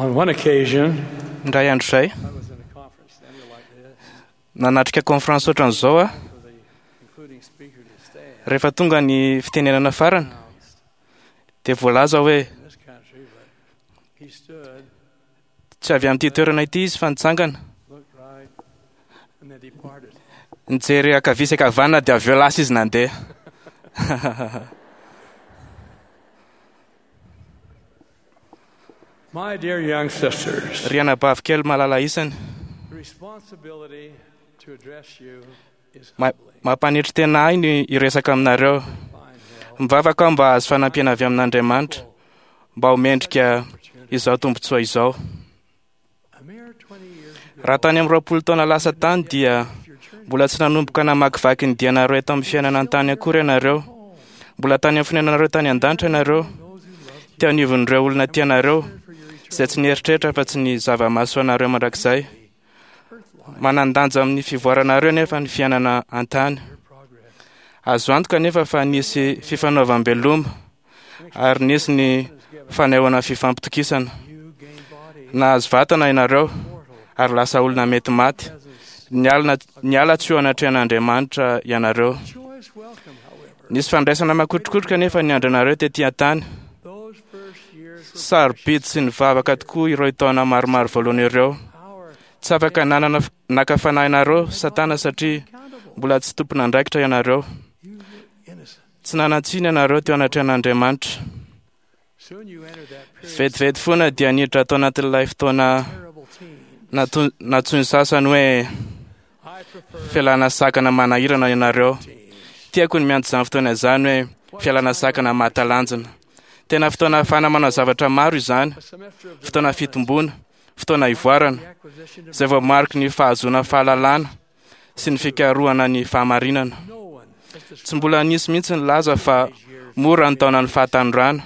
On one occasion, Indray andro izay, I was in a conference center like this nanatrika conférence ohatran'izao aho, for the concluding speaker to stand rehefa tonga ny fitenenana farany dia voalaza hoe in this country, but he stood, tsy avy amin'ity toerana ity izy fa nitsangana, looked right, and then departed. nijery ankavia sy ankavanana dia avy eo lasa izy nandeha. My dear young sisters, Ry anabavy kely malala isany, the responsibility to address you is Ma- humbling. mampanetry tena ahy ny hiresaka aminareo. Find help. Mivavaka aho mba hahazo fanampiana avy amin'Andriamanitra mba ho mendrika izao tombontsoa izao. A mere 20 years ago, Raha tany amin'ny 20 taona lasa tany dia your journey mbola tsy nanomboka namakivaky ny dianareo eto amin'ny fiainana an-tany akory ianareo. Mbola tany amin'ny fonenanareo tany an-danitra ianareo, those who loved you teo anivon'ireo olona tianareo for your eternal izay tsy nieritreritra fa tsy ny zava-mahasoa anareo mandrakizay. earth life, Manan-danja amin'ny fivoaranareo nefa ny fiainana an-tany. your progress. Azo antoka nefa fa nisy fifanaovam-beloma ary nisy ny fanehoana fifampitokisana. You gain body, Nahazo vatana ianareo mortal ary lasa olona mety maty. presence. Nialina niala tsy eo anatrehan'Andriamanitra ianareo. Joyous welcome, however. Nisy fandraisana makotrokotroka nefa ny andrinareo tetỳ an-tany. Those first years were Sarobidy sy nivavaka tokoa ireo taona maromaro voalohany ireo. our Tsy afaka nanana naka fanahinareo Satana satria accountable. mbola tsy tompon'andraikitra ianareo. You were innocent. Tsy nanan-tsiny ianareo teo anatrehan'Andriamanitra. Soon you entered that period Vetivety foana dia niditra tao anatin'ilay fotoana of terrible teens. natsoin'ny sasany hoe I prefer fialana sakana manahirana ianareo. teens. Tiako ny miantso izany fotoana izany hoe fialana sakana mahatalanjona. Tena fotoana ahafahana manao zavatra maro izany, A semester of fotoana development, fitomboana, fotoana ivoarana, the acquisition of izay voamariky ny fahazoana fahalalana sy ny fikarohana ny fahamarinana. no one has Tsy described mbola nisy mihitsy ny laza fa these years. mora ny taonan'ny fahatanorana,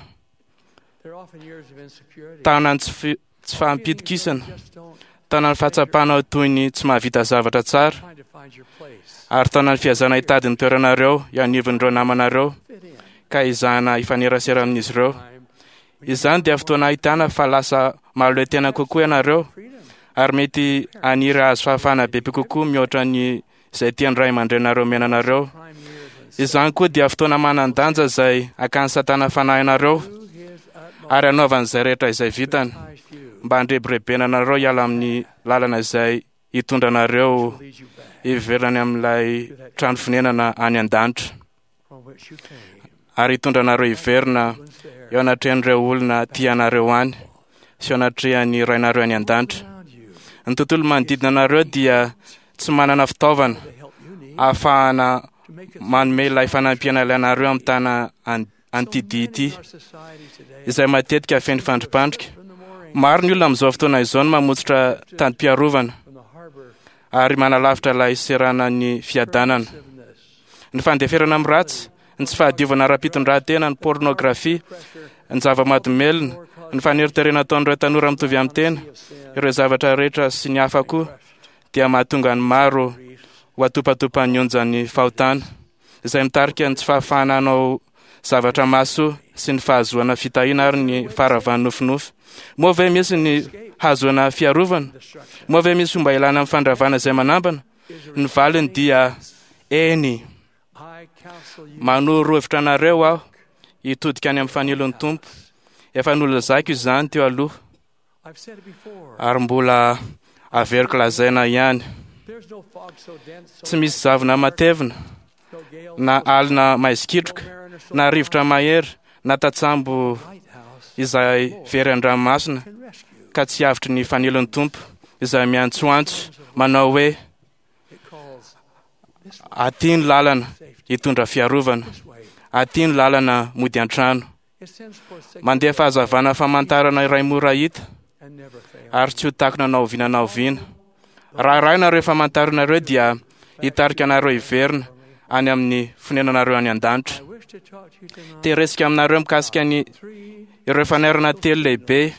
They're often years of insecurity. taonan'ny tsy fi- tsy Feelings fahampitokisana, that just don't taonan'ny fahatsapana ho toy ny tsy mahavita zavatra tsara, trying to find your place. ary taonan'ny fiazana hitady ny toeranareo eo anivon'ireo namanareo Fit in. ka izahana hifanerasera amin'izy ireo. Time when you Izany dia fotoana ahitana fa lasa mahaleo tena kokoa ianareo freedom. ary mety haniry hahazo fahafahana bebe kokoa mihoatra ny izay tian'ny ray aman-drenareo omena anareo. Prime years and Izany koa dia fotoana manan-danja izay hakan'ny Satana fanahinareo do his utmost ary hanaovan'izay rehetra izay vitany to entice you, mba handrebirebena anareo hiala amin'ny lalana izay hitondra anareo to lead you back hiverany amin'ilay trano fonenana any an-danitra from which you came. ary hitondra anareo hiverina One's there eo anatrehan'ireo olona tia anareo any sy eo anatrehan'ny rainareo any an-danitra. around you Ny tontolo manodidina anareo dia tsy manana fitaovana the help you need ahafahana to make it manome ilay fanampiana ilainareo amin'ny tana an'ity So dihy many ity in our society today izay matetika feno fandripandrika. from the mooring, Maro ny olona amin'izao fotoana izao no mamotsitra tandim-piarovana from the harbor, ary manalavitra ilay seranan'ny fiadanana. permissiveness, Ny fandeferana amin'ny ratsy, ny tsy fahadiovana ara-pitondran-tena, ny pornografia, pressure, ny zava-mahadomelina, ny faneriterena ataon'ireo tanora mitovy amin'ny tena, of sin, ireo zavatra rehetra sy ny hafa koa dia mahatonga ny maro grief, ho atopatopan'ny onjan'ny fahotana izay mitarika ny tsy fahafahana hanao zavatra mahasoa sy ny fahazoana fitahiana ary ny faharavan'ny nofinofy. Moa ve misy ny hahazoana fiarovana? destruction. Moa ve misy fomba ilana amin'ny fandravana izay manambana? Is a Ny valiny dia eny. I counsel you Manoro hevitra anareo aho hitodika any amin'ny fanilon'ny Tompo. Efa nolazaiko izany teo aloha I've said it before. ary mbola averiko lazaina ihany. There's no fog so dense, so Tsy misy zavona matevina no gale, na alina maizikitroka no mariner so na rivotra mahery na tatsambo lighthouse izay very an-dranomasina can rescue. ka tsy avotry ny fanilon'ny Tompo izay miantsoantso manao hoe It calls this way, aty ny lalana safety, hitondra fiarovana, this way. aty ny lalana mody an-trano. It sends forth signals Mandeha fahazavana famantarana iray mora hita and never fails. ary tsy ho takona na oviana na oviana. Raha arahinareo famantaranareo dia hitarika anareo hiverina any amin'ny fonenanareo any an-danitra. I wish to talk to you tonight. Te-hiresaka aminareo mikasika ny Three ireo fanairana telo lehibe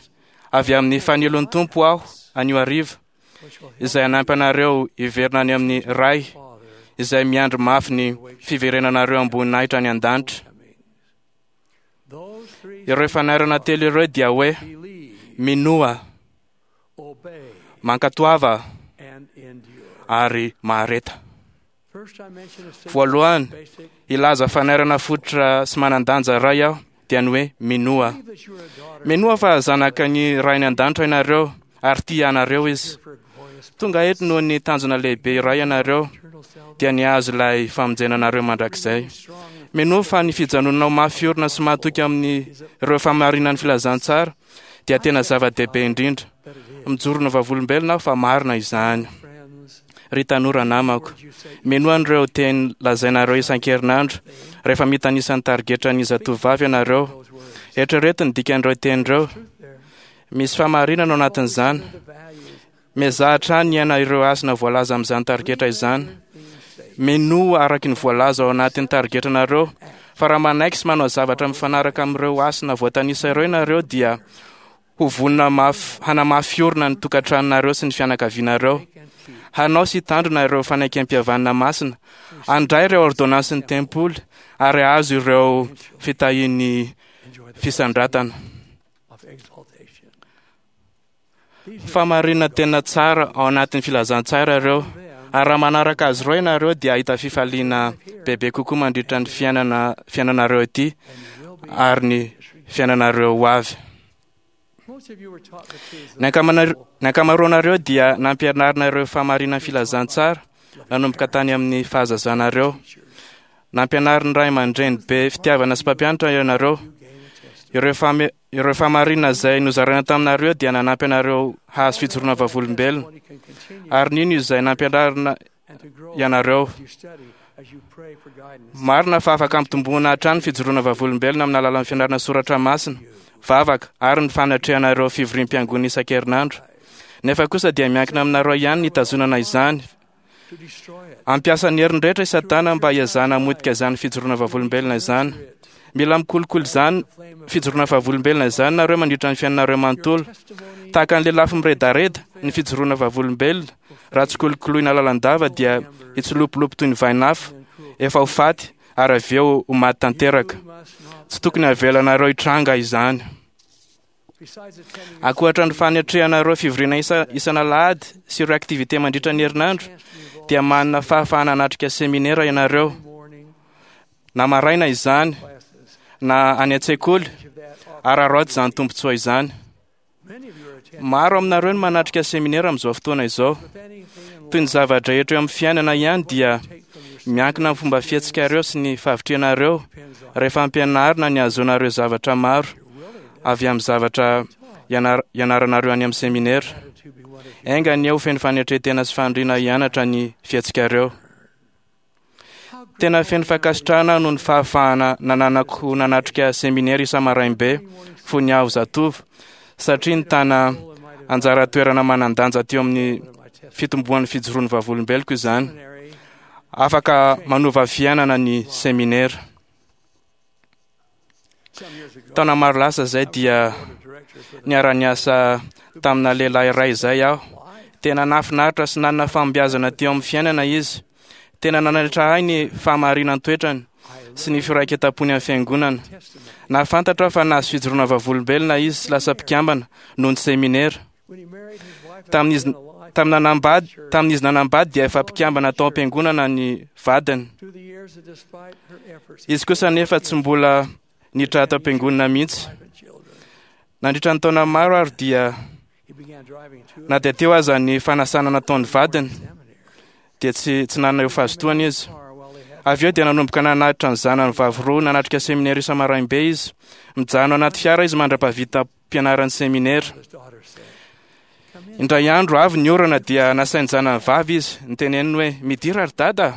avy amin'ny fanilon'ny Tompo aho anio hariva which will help izay hanampy anareo hiverina any amin'ny Ray Father izay miandry mafy ny fiverenanareo amboninahitra any an-danitra. coming. Those three Ireo fanairana telo ireo dia hoe believe, minoa, Mankatoava and endure. ary mahareta. First, I mention a simple, Voalohany, basic hilaza fanairana fototra sy manan-danja iray aho, dia ny hoe minoa. believe that you are a daughter Minoa fa zanaka ny Rainy an-danitra ianareo ary tia anareo izy. here for a glorious Tonga eto noho ny tanjona lehibe iray ianareo, eternal salvation. dia ny hahazo ilay famonjena anareo mandrakizay. Strong and Minoa fa ny fijanonanao mafy orina sy mahatoky amin'ireo fahamarinan'ny filazantsara dia tena zava-dehibe indrindra. that it is. Mijoro no vavolombelona aho fa marina izany. Friends, Ry tanora namako, words you say minoa an'ireo teny lazainareo isan-kerinandro rehefa mitanisa ny tarigetran'ny zatovovavy ianareo. those words. Eritrereto ny dikan'ireo teny ireo. Truth there. Misy fahamarinana ao anatin'izany. The values Miezaha hatrany hiaina ireo hasina voalaza amin'izany tarigetra izany. being saved. Minoa araka ny voalaza ao anatin'ny tarigetranareo fa raha manaiky sy manao zavatra mifanaraka amin'ireo hasina voatanisa ireo ianareo dia ho vonona mafy hanamafy orina ny tokantranonareo sy ny fianakavianareo. And keep Hanao sy hitandrina ireo fanekempihavanana masina, handray ireo ordonansin'ny tempoly ary hahazo ireo fitahian'ny enjoy the fisandratana. of exaltation. These are Fahamarinana tena tsara ao anatin'ny filazantsara ireo. them Ary raha manaraka azy ireo ianareo dia hahita fifaliana bebe kokoa mandritra ny fiainana fiainanareo ity and you will be. ary ny fiainanareo ho avy. Most of you were taught the truths of Ny the ankamana- ny ankamaroanareo dia nampianarina ireo fahamarinan'ny filazantsara nanomboka tany amin'ny fahazazanareo. teachers. Nampianarin'ny ray aman-dreny be fitiavana sy mpampianatra ianareo. You gain a testimony. Ireo fahame- ireo fahamarinana izay nozaraina taminareo dia nanampy anareo hahazo fijoroana vavolombelona. Testimony can continue Ary nino izay nampianarina and to grow ianareo. as you study, as you pray for guidance. Marina fa afaka ampitomboana hatrany fijoroana vavolombelona amin'ny alalan'ny fianarana soratra masina, vavaka ary ny fanatrehanareo fivoriam-piangonana isan-kerinandro. Nefa kosa dia miankina aminareo ihany ny hitazonana izany. To destroy it. Ampiasa ny heriny rehetra i Satana mba hiezahana hamotika izany fijoroana vavolombelona izany. Mila mikolokolo izany Flame of fijoroana vavolombelona izany nareo mandritra ny fiainanareo manontolo. your testimony Tahaka ny lelafo miredareda ny fijoroana vavolombelona, raha tsy kolokoloina lalandava dia hitsilopilopy toy ny vainafo, and cruel. efa ho faty ary avy eo ho maty tanteraka. You must not Tsy tokony avelanareo hitranga izany. Besides attending Ankoatra ny fanatrehanareo fivoriana isa- isan'alahady sy ireo aktivite mandritra ny herinandro, chance to be involved dia manana fahafahana hanatrika seminera ianareo, every morning na maraina izany, classes. na any an-tsekoly, Each of that ary araoty izany tombontsoa izany. Many of you are attending Maro aminareo no manatrika seminera amin'izao fotoana izao. with anything in Toy ny zava-drehetra eo amin'ny fiainana ihany dia life take from your miankina amin'ny fomba fihetsikareo sy ny fahavitrihanareo depends on rehefa ampianarina ny hahazoanareo zavatra maro your willingness avy amin'ny zavatra ianar- ianaranareo any amin'ny seminera. to be one of Enga anie ho feno fanetren-tena sy faniriana hianatra ny fihetsikareo. How Tena feno fankasitrahana noho ny fahafahana nananako nanatrika seminera isa-maraim-be fony aho zatovo satria nitana anjara toerana manan-danja teo amin'ny my testimony fitomboan'ny fijoroan'ny vavolombeloko izany. Afaka manova fiainana ny seminera. some years ago Taona maro lasa izay dia board of directors for the niara-niasa tamina lehilahy iray izay aho. Tena nahafinaritra sy nanana fahombiazana teo amin'ny fiainana izy. Tena nanaitra ahy ny fahamarinan-toetrany sy ny firaiketam-pony amin'ny fiangonana. testimony Nahafantatra aho fa nahazo fijoroana vavolombelona izy sy lasa mpikambana noho ny seminera. when he married his wife Tamin'izy in a life tamin'ny nanambady tamin'izy nanambady dia efa mpikambana tao am-piangonana ny vadiny. through the years and despite her efforts Izy kosa nefa tsy mbola niditra tao am-piangonana mihitsy. wife and children Nandritra ny taona maro ary dia he began driving to na dia teo aza ny fanasana nataon'ny vadiny seminary dia tsy tsy nanana eo fahazotoana izy. car while they had Avy eo dia nanomboka nanatitra ny zanany vavy roa nanatrika seminera isa-maraim-be izy. Mijanona anaty fiara izy mandra-pahavita mpianaran'ny seminera. his daughter said come in Indray andro avy ny orana dia nasain'ny zanany vavy izy niteneniny hoe midira ry dada.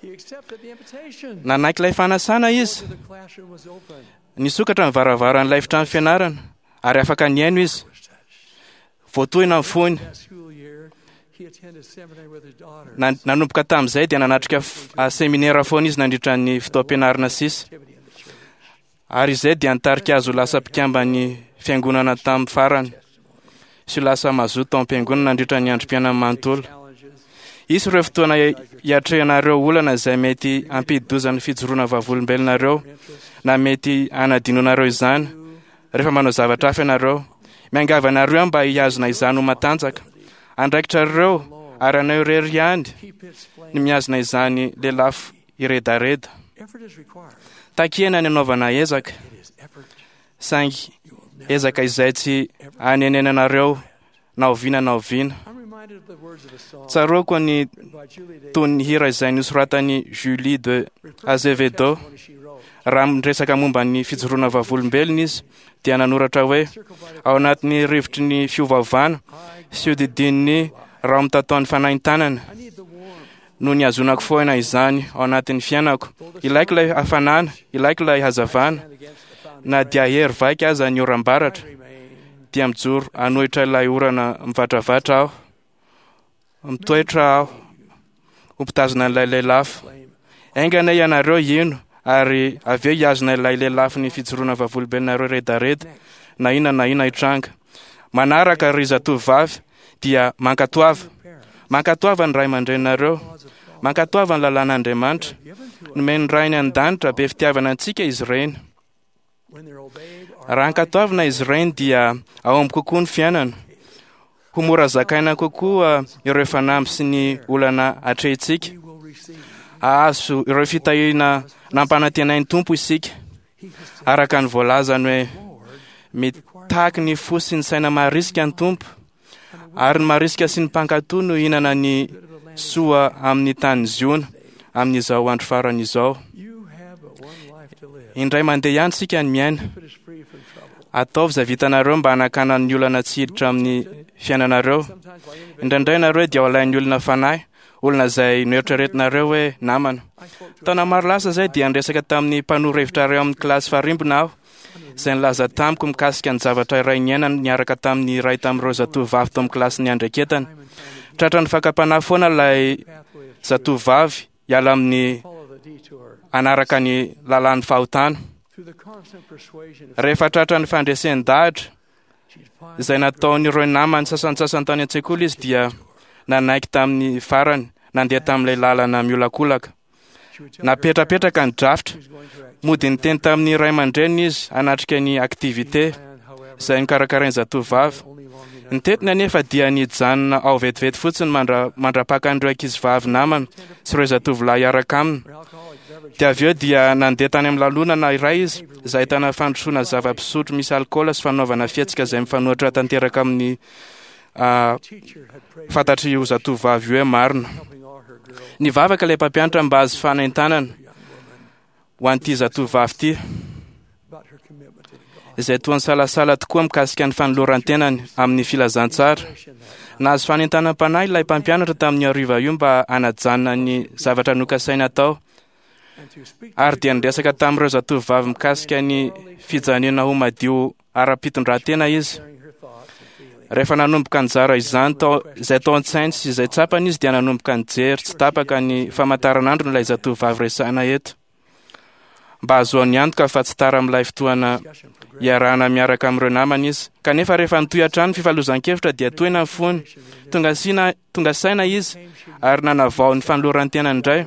he accepted the invitation Nanaiky ilay fanasana izy. the classroom was open Nisokatra ny varavaran'ilay efitrano fianarana ary afaka nihaino izy. was touched Voatohina ny fony. that school year he attended seminary with his daughter Nanomboka tamin'izay dia nanatrika seminera foana izy nandritra ny fotoam-pianarana sisa. activity in the church Ary izay dia nitarika azy ho lasa mpikamban'ny fiangonana tamin'ny farany sy ho lasa mazoto tao am-piangonana nandritra ny androm-piainany manontolo. challenges Hisy ireo fotoana hiatrehanareo olana izay mety hampidi-doza ny fijoroana vavolombelonareo na mety hanadinonareo izany rehefa manao zavatra hafa ianareo. Miangavy anareo aho mba hihazona izany ho matanjaka. Andraikitrareo ary anao irery ihany ny mihazona izany lelafo hiredareda. Takiana ny anaovana ezaka, saingy ezaka izay tsy anenenanareo na oviana na oviana. Tsaroako ny tonon'ny hira izay nosoratan'i Julie de Azevedo. Raha miresaka momba ny fijoroana vavolombelona izy, dia nanoratra hoe, Ao anatin'ny rivotry ny fiovaovana sy hodidinin'ny raho-mitataon'ny fanaintanana no nihazonako foana izany ao anatin'ny fiainako. Ilaiko ilay hafanana, ilaiko ilay hazavana, na dia hery vaika aza ny oram-baratra, dia mijoro hanohitra ilay orana mivatravatra aho. Mitoetra aho ho mpitazona an'ilay lelafo. Enga anie ianareo hino ary avy eo hihazona ilay lelafon'ny fijoroana vavolombelonareo redareda, na inona na inona hitranga. Manaraka, ry zatovovavy, dia mankatoava. Mankatoava ny ray aman-dreninareo. Mankatoava ny lalàn'Andriamanitra. Nomen'ny Rainy an-danitra be fitiavana antsika izy ireny. Raha ankatoavina izy ireny dia hahomby kokoa ny fiainana. Ho mora zakaina kokoa ireo fanamby sy ny olana atrehintsika. Hahazo ireo fitahiana nampanantenain'ny Tompo isika. Araka ny voalazany hoe, Mitaky ny fo sy ny saina marisika ny Tompo, ary ny marisika sy ny mpankatò no hihinana ny soa amin'ny tany Ziona amin'izao andro farany izao. Indray mandeha ihany isika ny miaina. Ataovy izay vitanareo mba hanakana ny olana tsy hiditra amin'ny fiainanareo. Indraindray nareo dia alain'ny olona fanahy, olona izay noeritreretinareo hoe namana. Taona maro lasa izay dia niresaka tamin'ny mpanoro hevitra iray ao amin'ny kilasy farimbona aho, izay nilaza tamiko mikasika ny zavatra iray niainany niaraka tamin'ny iray tamin'ireo zatovovavy tao amin'ny kilasy niandraiketany. Tratran'ny fakam-panahy foana ilay zatovovavy hiala amin'ny hanaraka ny lalàn'ny fahotana. Rehefa tratran'ny fandresen-dahatra izay nataon'ireo namany sasantsasany tany an-tsekoly izy dia nanaiky tamin'ny farany nandeha tamin'ilay lalana miolakolaka. Napetrapetraka ny drafitra. Mody niteny tamin'ny ray aman-dreniny izy hanatrika ny activité izay nokarakarain'ny zatovovavy. Ny tetiny anefa dia nijanona ao vetivety fotsiny mandra-pakan'ireo ankizivavy namany sy ireo zatovolahy hiaraka aminy. Dia avy eo dia nandeha tany amin'ny lanonana iray izy izay ahitana fandrosoana zava-pisotro misy alikaola sy fanaovana fihetsika izay mifanohitra tanteraka amin'ny fantatr'io zatovovavy io hoe marina. Nivavaka ilay mpampianatra mba hahazo fanentanana ho an'ity zatovovavy ity, izay toa nisalasala tokoa mikasika ny fanoloran-tenany amin'ny filazantsara. Nahazo fanentanam-panahy ilay mpampianatra tamin'io hariva io mba hanajanona ny zavatra nokasainy hatao, ary dia niresaka tamin'ireo zatovovavy mikasika ny fijanonana ho madio ara-pitondrantena izy. Rehefa nanomboka nizara izany tao, izay tao an-tsainy sy izay tsapany izy dia nanomboka nijery tsy tapaka ny famantaranandrony ilay zatovovavy resahina eto. Mba hahazoany antoka fa tsy tara amin'ilay fotoana iarahana miaraka amin'ireo namany izy. Kanefa rehefa nitohy hatrany ny fifalozan-kevitra dia tohina ny fony. Tonga sina, tonga saina izy ary nanavao ny fanoloran-tenany indray.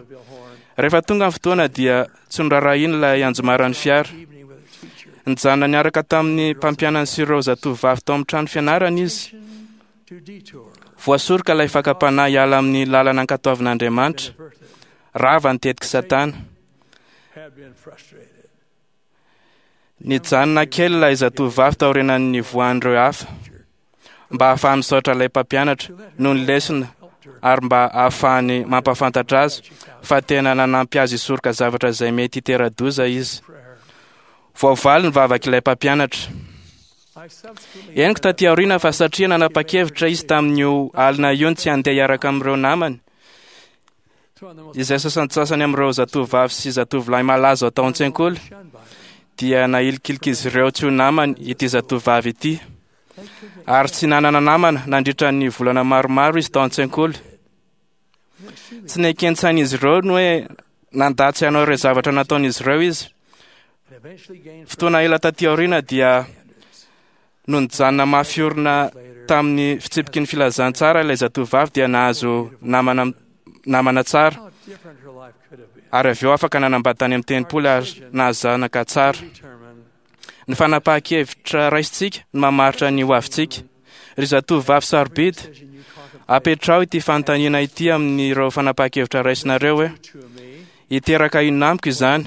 Rehefa tonga ny fotoana dia tsy noraharahiany ilay anjomaran'ny fiara. Nijanona niaraka tamin'ny mpampianany sy ireo zatovovavy tao amin'ny trano fianarana izy. Voasoroka ilay fakam-panahy hiala amin'ny lalana ankatoavin'Andriamanitra. Rava ny tetik'i Satana. Nijanona kely ilay zatovovavy taorianan'ny nivoahan'ireo hafa, mba hahafahany misaotra ilay mpampianatra noho ny lesona ary mba hahafahany mampahafantatra azy fa tena nanampy azy hisoroka zavatra izay mety hitera-doza izy. Voavaly ny vavak'ilay mpampianatra. Henoko taty aoriana fa satria nanapa-kevitra izy tamin'io alina io ny tsy handeha hiaraka amin'ireo namany, izay sasantsasany amin'ireo zatovovavy sy zatovolahy malaza tao an-tsekoly, dia nahilikiliky izy ireo tsy ho namany ity zatovovavy ity. Ary tsy nanana namana nandritra ny volana maromaro izy tao an-tsekoly. Tsy neken-tsain'izy ireo ny hoe nandà tsy hanao ireo zavatra nataon'izy ireo izy. Fotoana ela taty aoriana dia no nijanona mafy orina tamin'ny fitsipiky ny filazantsara ilay zatovovavy dia nahazo namana namana tsara ary avy eo afaka nanambady tany amin'ny tempoly ary nahazo zanaka tsara. Ny fanapahan-kevitra raisintsika no mamaritra ny hoavintsika. Ry zatovovavy sarobidy, apetraho ity fanontaniana ity amin'ireo fanapahan-kevitra raisinareo hoe, Hiteraka inona amiko izany?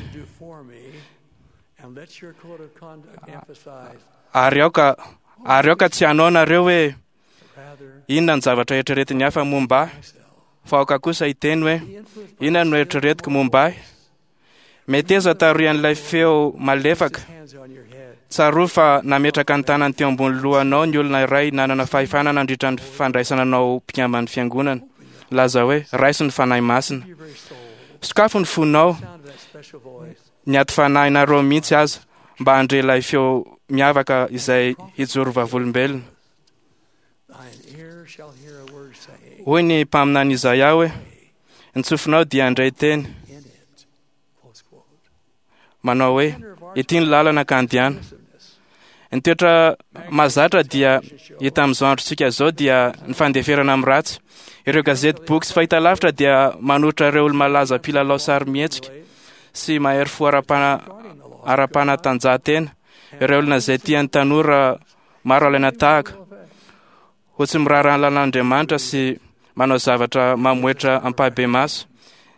Ary aoka, ary aoka tsy hanao nareo hoe, Inona ny zavatra eritreretin'ny hafa momba ahy? Fa aoka kosa hiteny hoe, Inona no eritreretiko momba ahy? Meteza tarihan'ilay feo malefaka. Tsarovy fa nametraka ny tanany teo ambony lohanao ny olona iray nanana fahefana nandritra ny fandraisana anao ho mpikamban'ny fiangonana. Laza hoe, Raiso ny Fanahy Masina. Sokafo ny fonao, ny ati-fanahinareo mihitsy aza, mba handre ilay feo miavaka izay hijoro vavolombelona. Hoy ny mpaminany Izaia hoe, Ny tsofinao dia handray teny manao hoe, Ity ny lalana ka andeana. Ny toetra mahazatra dia hita amin'izao androntsika izao dia ny fandeferana amin'ny ratsy. Ireo gazety, boky sy fahitalavitra dia manolotra ireo olo-malaza mpilalao sarimihetsika sy mahery fo ara-panatanjahantena, ireo olona izay tian'ny tanora maro alaina tahaka ho tsy miraharaha ny lalàn'Andriamanitra sy manao zavatra mamoetra ampahibemaso,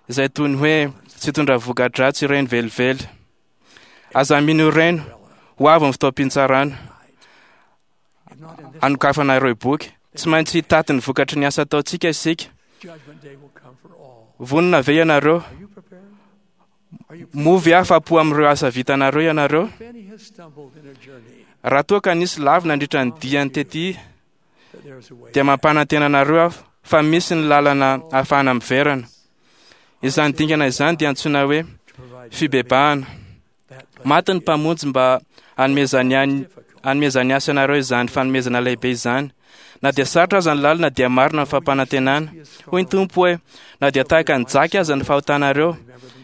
izay toy ny hoe tsy hitondra voka-dratsy ireny velively. Aza mino ireny, ho avy ny fotoam-pitsarana hanokafana ireo boky. Tsy maintsy hitaty ny vokatry ny asa ataontsika isika. Vonona ve ianareo? Moa ve afa-po amin'ireo asa vitanareo ianareo? Raha toa ka nisy lavo nandritra ny diany tety, dia mampanantena anareo aho fa misy ny lalana ahafahana miverina. Izany dingana izany dia antsoina hoe fibebahana. Maty ny Mpamonjy mba hanomezany hanomezany ahy sy anareo izany fanomezana lehibe izany. Na dia sarotra aza ny lalana dia marina ny fampanantenana. Hoy ny Tompo hoe, na dia tahaka ny jaky aza ny fahotanareo,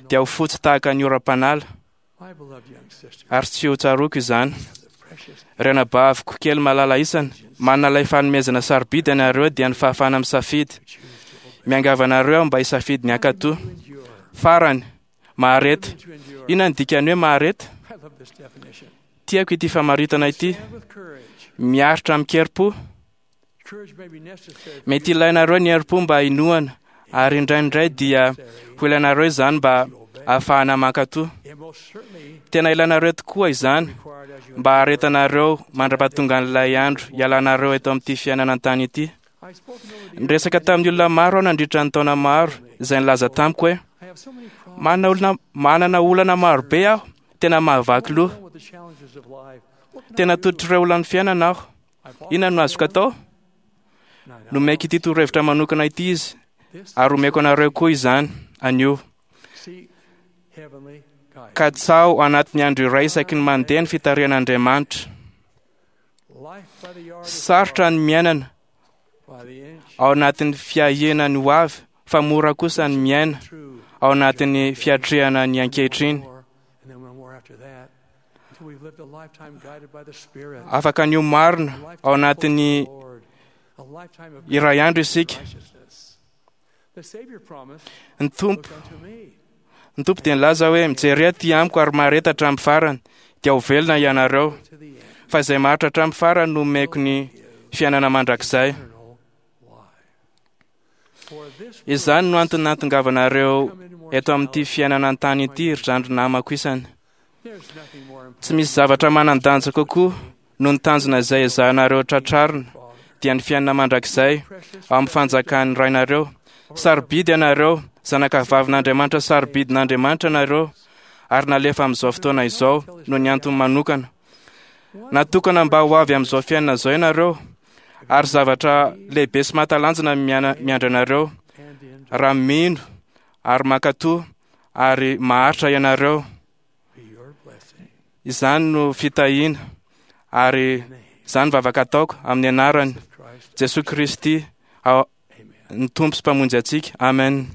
dia ho fotsy tahaka ny oram-panala, ary tsy ho tsaroako izany. Ry anabaviko kely malala isany, manana ilay fanomezana sarobidy ianareo dia ny fahafahana misafidy. Miangavy anareo aho mba hisafidy ny hankatò. Farany, Mahareta. Inona ny dikan'ny hoe mahareta? Tiako ity famaritana ity. Miaritra amin-kerim-po. Mety ilainareo ny herim-po mba hinoana, ary indraindray dia ho ilainareo izany mba ahafahana mankatò. Tena ilainareo tokoa izany mba haharetanareo mandra-pahatongan'ilay andro hialanareo eto amin'ity fiainana an-tany ity. Niresaka tamin'ny olona maro aho nandritra ny taona maro izay nilaza tamiko hoe, Manana olona, manana olana maro be aho, tena mahavaky loha. Tena tototr'ireo olan'ny fiainana aho. Inona no azoko atao? Nomeko ity torohevitra manokana ity izy, ary omeko anareo koa izany anio. Katsaho anatin'ny andro iray isaky ny mandeha ny fitarihan'Andriamanitra. Sarotra ny miainana ao anatin'ny fiahiana ny ho avy fa mora kosa ny miaina ao anatin'ny fiatrehana ny ankehitriny. Afaka ny ho marina ao anatin'ny iray andro isika. Ny Tompo, ny Tompo dia nilaza hoe, Mijery aty amiko ary mahareta hatramin'ny farany, dia ho velona ianareo. Fa izay maharitra hatramin'ny farany no omeko ny fiainana mandrakizay. Izany no antony nahatongavanareo eto amin'ity fiainana an-tany ity, ry zandry namako isany. Tsy misy zavatra manan-danja kokoa noho ny tanjona izay ezahanareo tratrarina, dia ny fiainana mandrakizay ao amin'ny fanjakan'ny Rainareo. Sarobidy ianareo, zanakavavin'Andriamanitra sarobidin'Andriamanitra ianareo, ary nalefa amin'izao fotoana izao noho ny antony manokana. Natokana mba ho avy amin'izao fiainana izao ianareo, ary zavatra lehibe sy mahatalanjona miandry anareo raha mino ary mankatò ary maharitra ianareo. Izany no fitahiana ary izany vavaka ataoko amin'ny anarany Jesoa Kristy, ny Tompo sy Mpamonjy antsika. Amen.